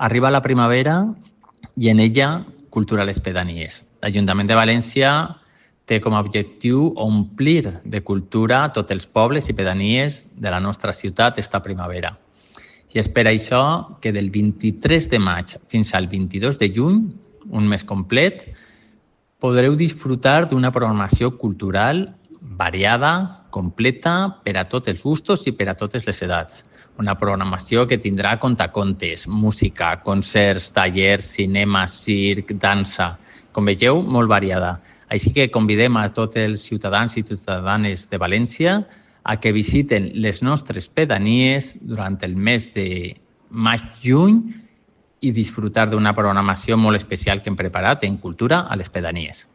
Arriba la primavera i en ella cultura a les pedanies. L'Ajuntament de València té com a objectiu omplir de cultura tots els pobles i pedanies de la nostra ciutat esta primavera. I és per això que del 23 de maig fins al 22 de juny, un mes complet, podreu disfrutar d'una programació cultural variada, completa, per a tots els gustos i per a totes les edats. Una programació que tindrà contacontes, música, concerts, tallers, cinema, circ, dansa. Com veieu, molt variada. Així que convidem a tots els ciutadans i ciutadanes de València a que visiten les nostres pedanies durant el mes de maig-juny i disfrutar d'una programació molt especial que hem preparat en cultura a les pedanies.